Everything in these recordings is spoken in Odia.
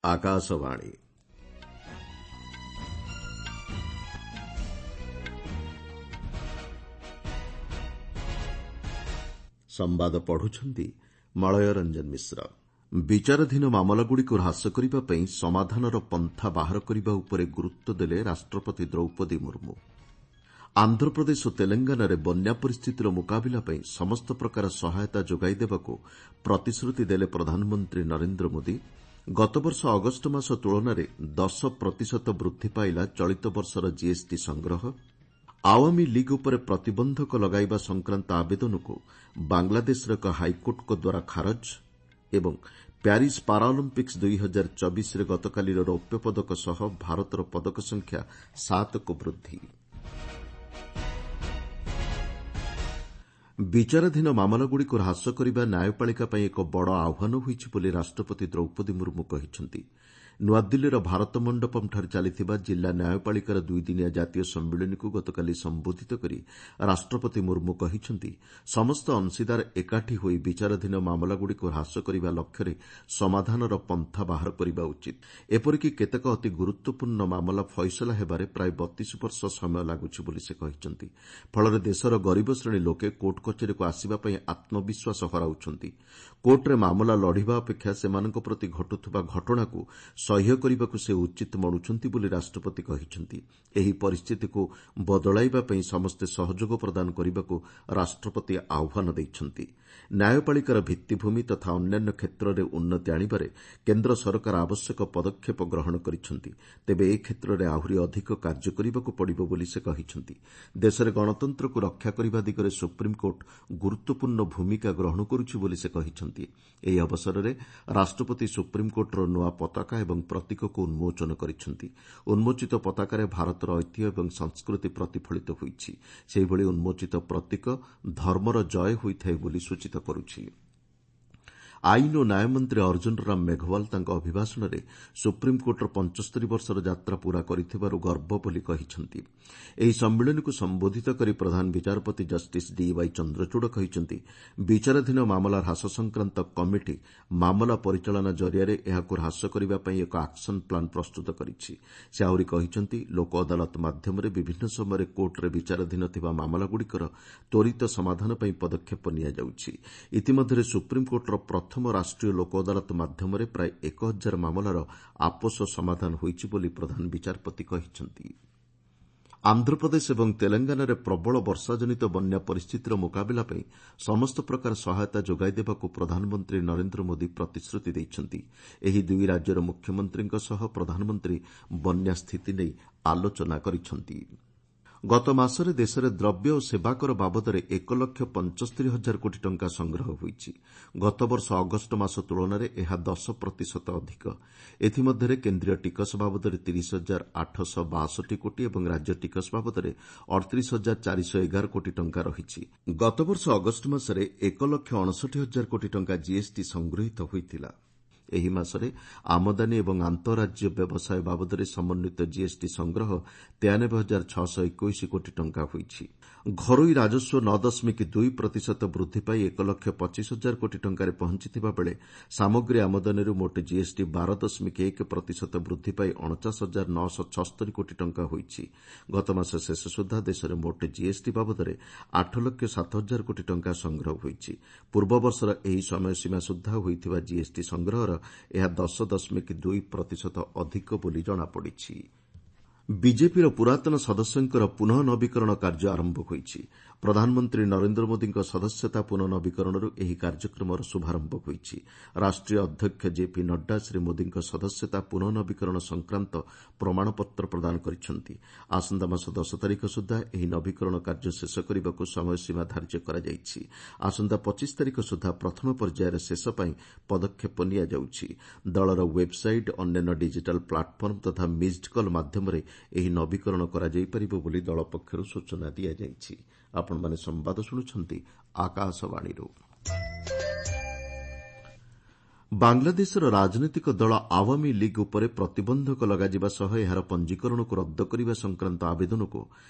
ଆକାଶବାଣୀ। ସମ୍ବାଦ ପଢୁଛନ୍ତି ମଳୟ ରଞ୍ଜନ ମିଶ୍ର। ବିଚାରାଧୀନ ମାମଲାଗୁଡ଼ିକୁ ହ୍ରାସ କରିବା ପାଇଁ ସମାଧାନର ପନ୍ଥା ବାହାର କରିବା ଉପରେ ଗୁରୁତ୍ୱ ଦେଲେ ରାଷ୍ଟ୍ରପତି ଦ୍ରୌପଦୀ ମୁର୍ମୁ। ଆନ୍ଧ୍ରପ୍ରଦେଶ ଓ ତେଲଙ୍ଗାନାରେ ବନ୍ୟା ପରିସ୍ଥିତିର ମୁକାବିଲା ପାଇଁ ସମସ୍ତ ପ୍ରକାର ସହାୟତା ଯୋଗାଇ ଦେବାକୁ ପ୍ରତିଶ୍ରୁତି ଦେଲେ ପ୍ରଧାନମନ୍ତ୍ରୀ ନରେନ୍ଦ୍ର ମୋଦି। ଗତବର୍ଷ ଅଗଷ୍ଟ ମାସ ତୁଳନାରେ 10 ପ୍ରତିଶତ ବୃଦ୍ଧି ପାଇଲା ଚଳିତ ବର୍ଷର ଜିଏସ୍ଟି ସଂଗ୍ରହ। ଆୱାମୀ ଲିଗ୍ ଉପରେ ପ୍ରତିବନ୍ଧକ ଲଗାଇବା ସଂକ୍ରାନ୍ତ ଆବେଦନକୁ ବାଂଲାଦେଶର ଏକ ହାଇକୋର୍ଟଙ୍କ ଦ୍ୱାରା ଖାରଜ ଏବଂ ପ୍ୟାରିସ୍ ପାରାଅଲିମ୍ପିକ୍ସ 2024ରେ ଗତକାଲିର ରୌପ୍ୟ ପଦକ ସହ ଭାରତର ପଦକ ସଂଖ୍ୟା 7କୁ ବୃଦ୍ଧି। ବିଚାରାଧୀନ ମାମଲାଗୁଡ଼ିକୁ ହ୍ରାସ କରିବା ନ୍ୟାୟପାଳିକା ପାଇଁ ଏକ ବଡ଼ ଆହ୍ୱାନ ହୋଇଛି ବୋଲି ରାଷ୍ଟ୍ରପତି ଦ୍ରୌପଦୀ ମୁର୍ମୁ କହିଛନ୍ତି। ନୂଆଦିଲ୍ଲୀର ଭାରତ ମଣ୍ଡପମ୍ଠାରେ ଚାଲିଥିବା ଜିଲ୍ଲା ନ୍ୟାୟପାଳିକାର ଦୁଇଦିନିଆ ଜାତୀୟ ସମ୍ମିଳନୀକୁ ଗତକାଲି ସମ୍ବୋଧିତ କରି ରାଷ୍ଟ୍ରପତି ମୁର୍ମୁ କହିଛନ୍ତି, ସମସ୍ତ ଅଂଶୀଦାର ଏକାଠି ହୋଇ ବିଚାରାଧୀନ ମାମଲାଗୁଡ଼ିକୁ ହ୍ରାସ କରିବା ଲକ୍ଷ୍ୟରେ ସମାଧାନର ପନ୍ଥା ବାହାର କରିବା ଉଚିତ। ଏପରିକି କେତେକ ଅତି ଗୁରୁତ୍ୱପୂର୍ଣ୍ଣ ମାମଲା ଫଇସଲା ହେବାରେ ପ୍ରାୟ 32 ବର୍ଷ ସମୟ ଲାଗୁଛି ବୋଲି ସେ କହିଛନ୍ତି। ଫଳରେ ଦେଶର ଗରିବ ଶ୍ରେଣୀ ଲୋକେ କୋର୍ଟ କଚେରୀକୁ ଆସିବା ପାଇଁ ଆତ୍ମବିଶ୍ୱାସ ହରାଉଛନ୍ତି। କୋର୍ଟରେ ମାମଲା ଲଢ଼ିବା ଅପେକ୍ଷା ସେମାନଙ୍କ ପ୍ରତି ଘଟୁଥିବା ଘଟଣାକୁ ସହ୍ୟ କରିବାକୁ ସେ ଉଚିତ ମଣୁଛନ୍ତି ବୋଲି ରାଷ୍ଟ୍ରପତି କହିଛନ୍ତି। ଏହି ପରିସ୍ଥିତିକୁ ବଦଳାଇବା ପାଇଁ ସମସ୍ତେ ସହଯୋଗ ପ୍ରଦାନ କରିବାକୁ ରାଷ୍ଟ୍ରପତି ଆହ୍ୱାନ ଦେଇଛନ୍ତି। ନ୍ୟାୟପାଳିକାର ଭିତ୍ତିଭୂମି ତଥା ଅନ୍ୟାନ୍ୟ କ୍ଷେତ୍ରରେ ଉନ୍ନତି ଆଣିବାରେ କେନ୍ଦ୍ର ସରକାର ଆବଶ୍ୟକ ପଦକ୍ଷେପ ଗ୍ରହଣ କରିଛନ୍ତି। ତେବେ ଏ କ୍ଷେତ୍ରରେ ଆହୁରି ଅଧିକ କାର୍ଯ୍ୟ କରିବାକୁ ପଡ଼ିବ ବୋଲି ସେ କହିଛନ୍ତି। ଦେଶରେ ଗଣତନ୍ତ୍ରକୁ ରକ୍ଷା କରିବା ଦିଗରେ ସୁପ୍ରିମକୋର୍ଟ ଗୁରୁତ୍ୱପୂର୍ଣ୍ଣ ଭୂମିକା ଗ୍ରହଣ କରୁଛି ବୋଲି ସେ କହିଛନ୍ତି। ଏହି ଅବସରରେ ରାଷ୍ଟ୍ରପତି ସୁପ୍ରିମକୋର୍ଟର ନୂଆ ପତାକା ଏବଂ ପ୍ରତୀକକୁ ଉନ୍ମୋଚନ କରିଛନ୍ତି। ଉନ୍ମୋଚିତ ପତାକାରେ ଭାରତର ଐତିହ୍ୟ ଏବଂ ସଂସ୍କୃତି ପ୍ରତିଫଳିତ ହୋଇଛି। ସେହିଭଳି ଉନ୍ମୋଚିତ ପ୍ରତୀକ ଧର୍ମର ଜୟ ହୋଇଥାଏ ବୋଲି ସୂଚିତ କରୁଛି। ଆଇନ ଓ ନ୍ୟାୟ ମନ୍ତ୍ରୀ ଅର୍ଜୁନ ରାମ ମେଘୱାଲ ତାଙ୍କ ଅଭିଭାଷଣରେ ସୁପ୍ରିମକୋର୍ଟର 75 ବର୍ଷର ଯାତ୍ରା ପୂରା କରିଥିବାରୁ ଗର୍ବ ବୋଲି କହିଛନ୍ତି। ଏହି ସମ୍ମିଳନୀକୁ ସମ୍ବୋଧିତ କରି ପ୍ରଧାନ ବିଚାରପତି ଜଷ୍ଟିସ୍ ଡିୱାଇ ଚନ୍ଦ୍ରଚୂଡ଼ କହିଛନ୍ତି, ବିଚାରାଧୀନ ମାମଲା ହ୍ରାସ ସଂକ୍ରାନ୍ତ କମିଟି ମାମଲା ପରିଚାଳନା ଜରିଆରେ ଏହାକୁ ହ୍ରାସ କରିବା ପାଇଁ ଏକ ଆକ୍ସନ ପ୍ଲାନ୍ ପ୍ରସ୍ତୁତ କରିଛି। ସେ ଆହୁରି କହିଛନ୍ତି, ଲୋକ ଅଦାଲତ ମାଧ୍ୟମରେ ବିଭିନ୍ନ ସମୟରେ କୋର୍ଟରେ ବିଚାରାଧୀନ ଥିବା ମାମଲାଗୁଡ଼ିକର ତ୍ୱରିତ ସମାଧାନ ପାଇଁ ପଦକ୍ଷେପ ନିଆଯାଉଛି। ଇତିମଧ୍ୟରେ ସୁପ୍ରିମକୋର୍ଟର ପ୍ରଥମ ରାଷ୍ଟ୍ରୀୟ ଲୋକ ଅଦାଲତ ମାଧ୍ୟମରେ ପ୍ରାୟ 1000 ମାମଲାର ଆପୋଷ ସମାଧାନ ହୋଇଛି ବୋଲି ପ୍ରଧାନ ବିଚାରପତି କହିଛନ୍ତି। ଆନ୍ଧ୍ରପ୍ରଦେଶ ଏବଂ ତେଲଙ୍ଗାନାରେ ପ୍ରବଳ ବର୍ଷାଜନିତ ବନ୍ୟା ପରିସ୍ଥିତିର ମୁକାବିଲା ପାଇଁ ସମସ୍ତ ପ୍ରକାର ସହାୟତା ଯୋଗାଇ ଦେବାକୁ ପ୍ରଧାନମନ୍ତ୍ରୀ ନରେନ୍ଦ୍ର ମୋଦି ପ୍ରତିଶ୍ରୁତି ଦେଇଛନ୍ତି। ଏହି ଦୁଇ ରାଜ୍ୟର ମୁଖ୍ୟମନ୍ତ୍ରୀଙ୍କ ସହ ପ୍ରଧାନମନ୍ତ୍ରୀ ବନ୍ୟା ସ୍ଥିତି ନେଇ ଆଲୋଚନା କରିଛନ୍ତି। ଗତ ମାସରେ ଦେଶରେ ଦ୍ରବ୍ୟ ଓ ସେବାକର ବାବଦରେ 1 ଲକ୍ଷ 75 ହଜାର କୋଟି ଟଙ୍କା ସଂଗ୍ରହ ହୋଇଛି। ଗତବର୍ଷ ଅଗଷ୍ଟ ମାସ ତୁଳନାରେ ଏହା 10 ପ୍ରତିଶତ ଅଧିକ। ଏଥିମଧ୍ୟରେ କେନ୍ଦ୍ରୀୟ ଟିକସ ବାବଦରେ 30 ହଜାର 862 କୋଟି ଏବଂ ରାଜ୍ୟ ଟିକସ ବାବଦରେ 38 ହଜାର 411 କୋଟି ଟଙ୍କା ରହିଛି। ଗତବର୍ଷ ଅଗଷ୍ଟ ମାସରେ 1 ଲକ୍ଷ 59 ହଜାର କୋଟି ଟଙ୍କା ଜିଏସ୍ଟି ସଂଗୃହୀତ ହୋଇଥିଲା। ଏହି ମାସରେ ଆମଦାନୀ ଏବଂ ଆନ୍ତଃରାଜ୍ୟ ବ୍ୟବସାୟ ବାବଦରେ ସମନ୍ୱିତ ଜିଏସ୍ଟି ସଂଗ୍ରହ 93 ହଜାର 621 କୋଟି ଟଙ୍କା ହୋଇଛି। ଘରୋଇ ରାଜସ୍ୱ 9.2 ପ୍ରତିଶତ ବୃଦ୍ଧି ପାଇ 1 ଲକ୍ଷ 25 ହଜାର କୋଟି ଟଙ୍କାରେ ପହଞ୍ଚିଥିବା ବେଳେ ସାମଗ୍ରୀ ଆମଦାନୀରୁ ମୋଟ ଜିଏସ୍ଟି 12.1 ପ୍ରତିଶତ ବୃଦ୍ଧି ପାଇ 49 ହଜାର 976 କୋଟି ଟଙ୍କା ହୋଇଛି। ଗତମାସ ଶେଷ ସୁଦ୍ଧା ଦେଶରେ ମୋଟ ଜିଏସ୍ଟି ବାବଦରେ 8 ଲକ୍ଷ 7 ହଜାର କୋଟି ଟଙ୍କା ସଂଗ୍ରହ ହୋଇଛି। ପୂର୍ବବର୍ଷର ଏହି ସମୟସୀମା ସୁଦ୍ଧା ହୋଇଥିବା ଜିଏସ୍ଟି ସଂଗ୍ରହର ଏହା 10.2 ପ୍ରତିଶତ ଅଧିକ ବୋଲି ଜଣାପଡ଼ିଛି। ବିଜେପିର ପୁରାତନ ସଦସ୍ୟଙ୍କର ପୁନଃ ନବୀକରଣ କାର୍ଯ୍ୟ ଆରମ୍ଭ ହୋଇଛି। ପ୍ରଧାନମନ୍ତ୍ରୀ ନରେନ୍ଦ୍ର ମୋଦିଙ୍କ ସଦସ୍ୟତା ପୁନଃ ନବୀକରଣରୁ ଏହି କାର୍ଯ୍ୟକ୍ରମର ଶୁଭାରମ୍ଭ ହୋଇଛି। ରାଷ୍ଟ୍ରୀୟ ଅଧ୍ୟକ୍ଷ ଜେପି ନଡ୍ଡା ଶ୍ରୀ ମୋଦିଙ୍କ ସଦସ୍ୟତା ପୁନଃ ନବୀକରଣ ସଂକ୍ରାନ୍ତ ପ୍ରମାଣପତ୍ର ପ୍ରଦାନ କରିଛନ୍ତି। ଆସନ୍ତା ମାସ 10 ତାରିଖ ସୁଦ୍ଧା ଏହି ନବୀକରଣ କାର୍ଯ୍ୟ ଶେଷ କରିବାକୁ ସମୟସୀମା ଧାର୍ଯ୍ୟ କରାଯାଇଛି। ଆସନ୍ତା 25 ତାରିଖ ସୁଦ୍ଧା ପ୍ରଥମ ପର୍ଯ୍ୟାୟର ଶେଷ ପାଇଁ ପଦକ୍ଷେପ ନିଆଯାଉଛି। ଦଳର ୱେବ୍ସାଇଟ୍, ଅନ୍ୟାନ୍ୟ ଡିଜିଟାଲ୍ ପ୍ଲାଟଫର୍ମ ତଥା ମିସ୍ଡ କଲ୍ ମାଧ୍ୟମରେ ଏହି ନବୀକରଣ କରାଯାଇପାରିବ ବୋଲି ଦଳ ପକ୍ଷରୁ ସୂଚନା ଦିଆଯାଇଛି। ଆପଣମାନେ ସମ୍ବାଦ ଶୁଣୁଛନ୍ତି ଆକାଶବାଣୀରୁ। ବାଂଲାଦେଶର ରାଜନୈତିକ ଦଳ ଆୱାମୀ ଲିଗ୍ ଉପରେ ପ୍ରତିବନ୍ଧକ ଲଗାଯିବା ସହ ଏହାର ପଞ୍ଜୀକରଣକୁ ରଦ୍ଦ କରିବା ସଂକ୍ରାନ୍ତ ଆବେଦନକୁ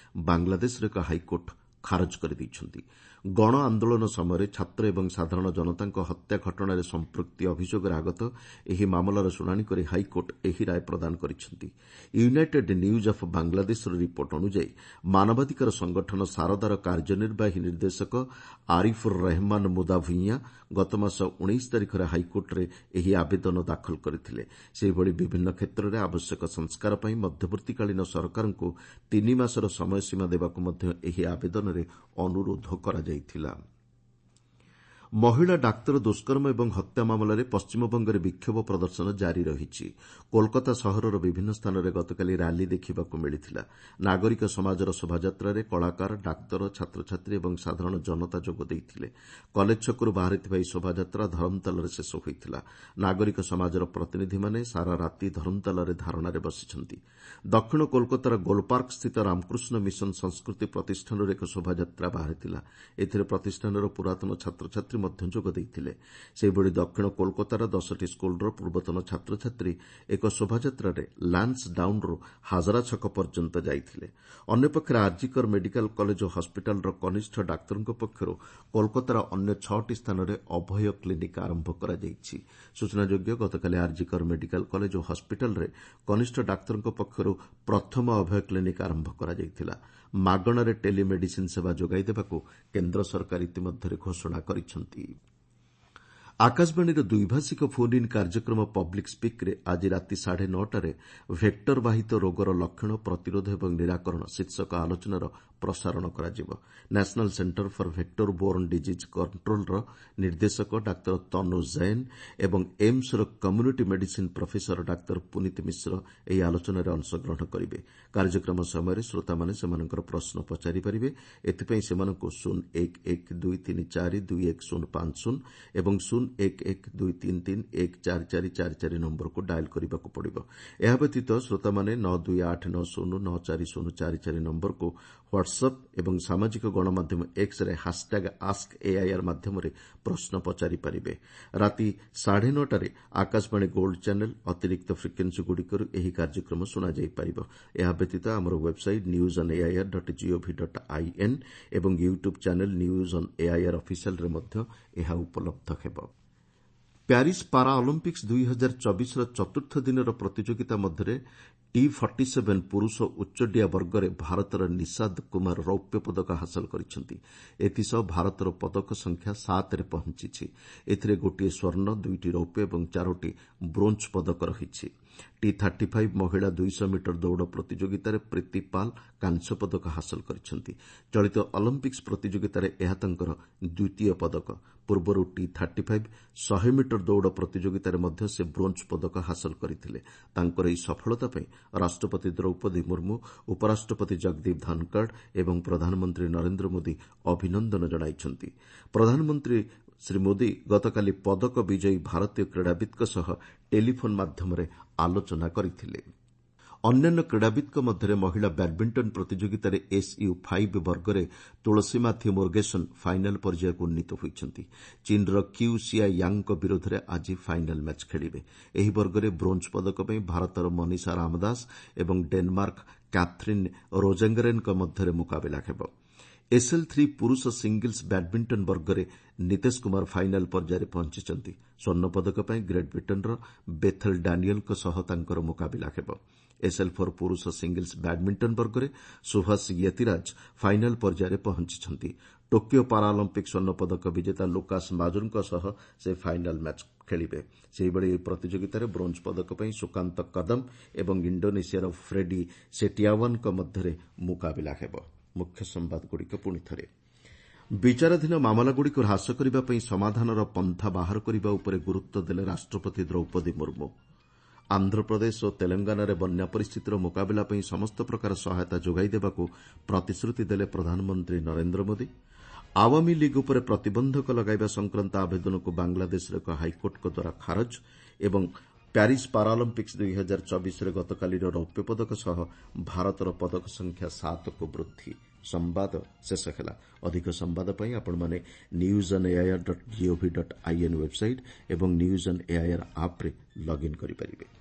ବାଂଲାଦେଶର ଏକ ହାଇକୋର୍ଟ ଖାରଜ କରିଦେଇଛନ୍ତି। ଗଣ ଆନ୍ଦୋଳନ ସମୟରେ ଛାତ୍ର ଏବଂ ସାଧାରଣ ଜନତାଙ୍କ ହତ୍ୟା ଘଟଣାରେ ସମ୍ପୃକ୍ତି ଅଭିଯୋଗରେ ଆଗତ ଏହି ମାମଲାର ଶୁଣାଣି କରି ହାଇକୋର୍ଟ ଏହି ରାୟ ପ୍ରଦାନ କରିଛନ୍ତି। ୟୁନାଇଟେଡ୍ ନ୍ୟୁଜ୍ ଅଫ୍ ବାଂଲାଦେଶର ରିପୋର୍ଟ ଅନୁଯାୟୀ ମାନବାଧିକାର ସଂଗଠନ ସାରଦାର କାର୍ଯ୍ୟନିର୍ବାହୀ ନିର୍ଦ୍ଦେଶକ ଆରିଫୁର୍ ରେହମାନ ମୁଦା ଭୂଇଁଆ ଗତମାସ 19 ତାରିଖରେ ହାଇକୋର୍ଟରେ ଏହି ଆବେଦନ ଦାଖଲ କରିଥିଲେ। ସେହିଭଳି ବିଭିନ୍ନ କ୍ଷେତ୍ରରେ ଆବଶ୍ୟକ ସଂସ୍କାର ପାଇଁ ମଧ୍ୟବର୍ତ୍ତୀକାଳୀନ ସରକାରଙ୍କୁ 3 ମାସର ସମୟସୀମା ଦେବାକୁ ମଧ୍ୟ ଏହି ଆବେଦନରେ ଅନୁରୋଧ କରାଯାଇଥିଲା। ମହିଳା ଡାକ୍ତର ଦୁଷ୍କର୍ମ ଏବଂ ହତ୍ୟା ମାମଲାରେ ପଶ୍ଚିମବଙ୍ଗରେ ବିକ୍ଷୋଭ ପ୍ରଦର୍ଶନ ଜାରି ରହିଛି। କୋଲକାତା ସହରର ବିଭିନ୍ନ ସ୍ଥାନରେ ଗତକାଲି ର୍ୟାଲି ଦେଖିବାକୁ ମିଳିଥିଲା। ନାଗରିକ ସମାଜର ଶୋଭାଯାତ୍ରାରେ କଳାକାର, ଡାକ୍ତର, ଛାତ୍ରଛାତ୍ରୀ ଏବଂ ସାଧାରଣ ଜନତା ଯୋଗ ଦେଇଥିଲେ। କଲେଜ ଛକରୁ ବାହାରିଥିବା ଏହି ଶୋଭାଯାତ୍ରା ଧରମତାଲାରେ ଶେଷ ହୋଇଥିଲା। ନାଗରିକ ସମାଜର ପ୍ରତିନିଧିମାନେ ସାରା ରାତି ଧରମତାଲାରେ ଧାରଣାରେ ବସିଛନ୍ତି। ଦକ୍ଷିଣ କୋଲକାତାର ଗୋଲପାର୍କସ୍ଥିତ ରାମକୃଷ୍ଣ ମିଶନ ସଂସ୍କୃତି ପ୍ରତିଷ୍ଠାନରୁ ଏକ ଶୋଭାଯାତ୍ରା ବାହାରିଥିଲା। ଏଥିରେ ପ୍ରତିଷ୍ଠାନର ପୁରାତନ ଛାତ୍ରଛାତ୍ରୀ ମଧ୍ୟ ଯୋଗ ଦେଇଥିଲେ। ସେହିଭଳି ଦକ୍ଷିଣ କୋଲକାତାର 10ଟି ସ୍କୁଲର ପୂର୍ବତନ ଛାତ୍ରଛାତ୍ରୀ ଏକ ଶୋଭାଯାତ୍ରାରେ ଲାନ୍ସ ଡାଉନ୍ରୁ ହାଜରା ଛକ ପର୍ଯ୍ୟନ୍ତ ଯାଇଥିଲେ। ଅନ୍ୟପକ୍ଷରେ ଆର୍ଜିକର ମେଡିକାଲ କଲେଜ ଓ ହସ୍ପିଟାଲର କନିଷ୍ଠ ଡାକ୍ତରଙ୍କ ପକ୍ଷରୁ କୋଲକାତାର ଅନ୍ୟ 6ଟି ସ୍ଥାନରେ ଅଭୟ କ୍ଲିନିକ୍ ଆରମ୍ଭ କରାଯାଇଛି। ସୂଚନାଯୋଗ୍ୟ, ଗତକାଲି ଆର୍ଜିକର ମେଡିକାଲ କଲେଜ ଓ ହସ୍ପିଟାଲରେ କନିଷ୍ଠ ଡାକ୍ତରଙ୍କ ପକ୍ଷରୁ ପ୍ରଥମ ଅଭୟ କ୍ଲିନିକ୍ ଆରମ୍ଭ କରାଯାଇଥିଲା। ମାଗଣାରେ ଟେଲି ମେଡିସିନ୍ ସେବା ଯୋଗାଇ ଦେବାକୁ କେନ୍ଦ୍ର ସରକାର ଇତିମଧ୍ୟରେ ଘୋଷଣା କରିଛନ୍ତି। ଆକାଶବାଣୀର ଦ୍ୱିଭାଷିକ ଫୋନ୍ ଇନ୍ କାର୍ଯ୍ୟକ୍ରମ ପବ୍ଲିକ୍ ସ୍ପିକ୍ରେ ଆଜି ରାତି 9:30ରେ ଭେକ୍ଟର ବାହିତ ରୋଗର ଲକ୍ଷଣ, ପ୍ରତିରୋଧ ଏବଂ ନିରାକରଣ ଶୀର୍ଷକ ଆଲୋଚନାର ପ୍ରସାରଣ କରାଯିବ। National centre for vector borne disease controller ନିର୍ଦ୍ଦେଶକ ଡାକ୍ତର ତନୁ ଜୈନ ଏବଂ ଏମ୍ସର କମ୍ୟୁନିଟି ମେଡିସିନ୍ ପ୍ରଫେସର ଡାକ୍ତର ପୁନୀତ ମିଶ୍ର ଏହି ଆଲୋଚନାରେ ଅଂଶଗ୍ରହଣ କରିବେ। କାର୍ଯ୍ୟକ୍ରମ ସମୟରେ ଶ୍ରୋତାମାନେ ସେମାନଙ୍କର ପ୍ରଶ୍ନ ପଚାରିପାରିବେ। ଏଥିପାଇଁ ସେମାନଙ୍କୁ 0 1 1 2 3 4 2 1 0 5 0 ଏବଂ 0 1 1 2 3 3 1 4 4 4 4 ନମ୍ବରକୁ ଡାଏଲ୍ କରିବାକୁ ପଡ଼ିବ। ଏହା ବ୍ୟତୀତ ଶ୍ରୋତାମାନେ 9 2 8 9 0 9 4 0 4 4 ନମ୍ବରକୁ ହ୍ୱାଟ୍ସଆପ୍ ଏବଂ ସାମାଜିକ ଗଣମାଧ୍ୟମ ଏକ୍ସରେ ହାସ୍ଟ୍ୟାଗ୍ ଆସ୍କ ଏଆଇଆର୍ ମାଧ୍ୟମରେ ପ୍ରଶ୍ନ ପଚାରିପାରିବେ। ରାତି 9:30ରେ ଆକାଶବାଣୀ ଗୋଲ୍ଡ ଚ୍ୟାନେଲ୍ ଅତିରିକ୍ତ ଫ୍ରିକ୍ୱେନ୍ସିଗୁଡ଼ିକରୁ ଏହି କାର୍ଯ୍ୟକ୍ରମ ଶୁଣାଯାଇପାରିବ। ଏହା ବ୍ୟତୀତ ଆମର website news on AIR dot gov dot in ଏବଂ YouTube channel news on AIR ଅଫିସିଆଲ୍ରେ ମଧ୍ୟ ଏହା ଉପଲବ୍ଧ ହେବ। ପ୍ୟାରିସ୍ ପାରା ଅଲିମ୍ପିକ୍ସ 2024ର ଚତୁର୍ଥ ଦିନର ପ୍ରତିଯୋଗିତା ମଧ୍ୟରେ ଟି 47 ପୁରୁଷ ଉଚ୍ଚଡିଆ ବର୍ଗରେ ଭାରତର ନିଶାଦ କୁମାର ରୌପ୍ୟ ପଦକ ହାସଲ କରିଛନ୍ତି। ଏଥିସହ ଭାରତର ପଦକ ସଂଖ୍ୟା 7ରେ ପହଞ୍ଚିଛି। ଏଥିରେ ଗୋଟିଏ ସ୍ୱର୍ଣ୍ଣ, 2ଟି ରୌପ୍ୟ ଏବଂ 4ଟି ବ୍ରୋଞ୍ଜ ପଦକ ରହିଛି। ଟି 35 ମହିଳା 200 ମିଟର ଦୌଡ଼ ପ୍ରତିଯୋଗିତାରେ ପ୍ରୀତି ପାଲ୍ କାଂସ୍ୟ ପଦକ ହାସଲ କରିଛନ୍ତି। ଚଳିତ ଅଲିମ୍ପିକ୍ସ ପ୍ରତିଯୋଗିତାରେ ଏହା ତାଙ୍କର ଦ୍ୱିତୀୟ ପଦକ। ପୂର୍ବରୁ ଟି 35 100 ମିଟର ଦୌଡ଼ ପ୍ରତିଯୋଗିତାରେ ମଧ୍ୟ ସେ ବ୍ରୋଞ୍ଜ ପଦକ ହାସଲ କରିଥିଲେ। ତାଙ୍କର ଏହି ସଫଳତା ପାଇଁ ରାଷ୍ଟ୍ରପତି ଦ୍ରୌପଦୀ ମୁର୍ମୁ, ଉପରାଷ୍ଟ୍ରପତି ଜଗଦୀପ ଧନଖଡ଼ ଏବଂ ପ୍ରଧାନମନ୍ତ୍ରୀ ନରେନ୍ଦ୍ର ମୋଦି ଅଭିନନ୍ଦନ ଜଣାଇଛନ୍ତି। ପ୍ରଧାନମନ୍ତ୍ରୀ ଶ୍ରୀ ମୋଦି ଗତକାଲି ପଦକ ବିଜୟୀ ଭାରତୀୟ କ୍ରୀଡ଼ାବିତ୍ଙ୍କ ସହ ଟେଲିଫୋନ୍ ମାଧ୍ୟମରେ ଆଲୋଚନା କରିଥିଲେ। ଅନ୍ୟାନ୍ୟ କ୍ରୀଡ଼ାବିତ୍ଙ୍କ ମଧ୍ୟରେ ମହିଳା ବ୍ୟାଡ୍ମିଣ୍ଟନ ପ୍ରତିଯୋଗିତାରେ ଏସ୍ୟୁ 5 ବର୍ଗରେ ତୁଳସୀମାଥି ମୁର୍ଗେସନ୍ ଫାଇନାଲ୍ ପର୍ଯ୍ୟାୟକୁ ଉନ୍ନୀତ ହୋଇଛନ୍ତି। ଚୀନ୍ର କ୍ୟୁ ସିଆ ୟାଙ୍ଗ୍ଙ୍କ ବିରୋଧରେ ଆଜି ଫାଇନାଲ୍ ମ୍ୟାଚ୍ ଖେଳିବେ। ଏହି ବର୍ଗରେ ବ୍ରୋଞ୍ଜ ପଦକ ପାଇଁ ଭାରତର ମନୀଷା ରାମଦାସ ଏବଂ ଡେନମାର୍କ କ୍ୟାଥରିନ୍ ରୋଜେଙ୍ଗରେନ୍ଙ୍କ ମଧ୍ୟରେ ମୁକାବିଲା ହେବ। ଏସ୍ଏଲ୍ 3 ପୁରୁଷ ସିଙ୍ଗଲ୍ସ ବ୍ୟାଡ୍ମିଣ୍ଟନ ବର୍ଗରେ ନୀତେଶ କୁମାର ଫାଇନାଲ୍ ପର୍ଯ୍ୟାୟରେ ପହଞ୍ଚିଛନ୍ତି। ସ୍ୱର୍ଣ୍ଣପଦକ ପାଇଁ ଗ୍ରେଟ୍ ବ୍ରିଟେନ୍ର ବେଥେଲ୍ ଡାନିଏଲ୍ଙ୍କ ସହ ତାଙ୍କର ମୁକାବିଲା ହେବ। ଏସ୍ଏଲ୍ 4 ପୁରୁଷ ସିଙ୍ଗଲ୍ସ ବ୍ୟାଡ୍ମିଣ୍ଟନ ବର୍ଗରେ ସୁଭାଷ ୟତିରାଜ ଫାଇନାଲ୍ ପର୍ଯ୍ୟାୟରେ ପହଞ୍ଚିଛନ୍ତି। ଟୋକିଓ ପାରାଅଲିମ୍ପିକ୍ ସ୍ୱର୍ଣ୍ଣପଦକ ବିଜେତା ଲୁକାସ୍ ମାଜୁରଙ୍କ ସହ ସେ ଫାଇନାଲ୍ ମ୍ୟାଚ୍ ଖେଳିବେ। ସେହିଭଳି ଏହି ପ୍ରତିଯୋଗିତାରେ ବ୍ରୋଞ୍ଜ ପଦକ ପାଇଁ ସୁକାନ୍ତ କଦମ ଏବଂ ଇଣ୍ଡୋନେସିଆର ଫ୍ରେଡି ସେଟିଆୱାନ୍ଙ୍କ ମଧ୍ୟରେ ମୁକାବିଲା ହେବ। ମୁଖ୍ୟ ସମ୍ବାଦଗୁଡ଼ିକ ପୁଣିଥରେ। ବିଚାରାଧୀନ ମାମଲାଗୁଡ଼ିକୁ ହ୍ରାସ କରିବା ପାଇଁ ସମାଧାନର ପନ୍ଥା ବାହାର କରିବା ଉପରେ ଗୁରୁତ୍ୱ ଦେଲେ ରାଷ୍ଟ୍ରପତି ଦ୍ରୌପଦୀ ମୁର୍ମୁ। ଆନ୍ଧ୍ରପ୍ରଦେଶ ଓ ତେଲଙ୍ଗାନାରେ ବନ୍ୟା ପରିସ୍ଥିତିର ମୁକାବିଲା ପାଇଁ ସମସ୍ତ ପ୍ରକାର ସହାୟତା ଯୋଗାଇ ଦେବାକୁ ପ୍ରତିଶ୍ରୁତି ଦେଲେ ପ୍ରଧାନମନ୍ତ୍ରୀ ନରେନ୍ଦ୍ର ମୋଦି। ଆୱାମୀ ଲିଗ୍ ଉପରେ ପ୍ରତିବନ୍ଧକ ଲଗାଇବା ସଂକ୍ରାନ୍ତ ଆବେଦନକୁ ବାଂଲାଦେଶର ଏକ ହାଇକୋର୍ଟଙ୍କ ଦ୍ୱାରା ଖାରଜ ଏବଂ ପ୍ୟାରିସ୍ ପାରାଅଲିମ୍ପିକ୍ସ 2024ରେ ଗତକାଲିର ରୌପ୍ୟ ପଦକ ସହ ଭାରତର ପଦକ ସଂଖ୍ୟା 7କୁ ବୃଦ୍ଧି। ସମ୍ବାଦ ଶେଷ ହେଲା। ଅଧିକ ସମ୍ବାଦ ପାଇଁ ଆପଣମାନେ news on AIR dot gov dot in website ଏବଂ ନ୍ୟୁଜ୍ ଅନ୍ ଏଆଇଆର୍ ଆପ୍ରେ ଲଗ୍ଇନ୍ କରିପାରିବେ।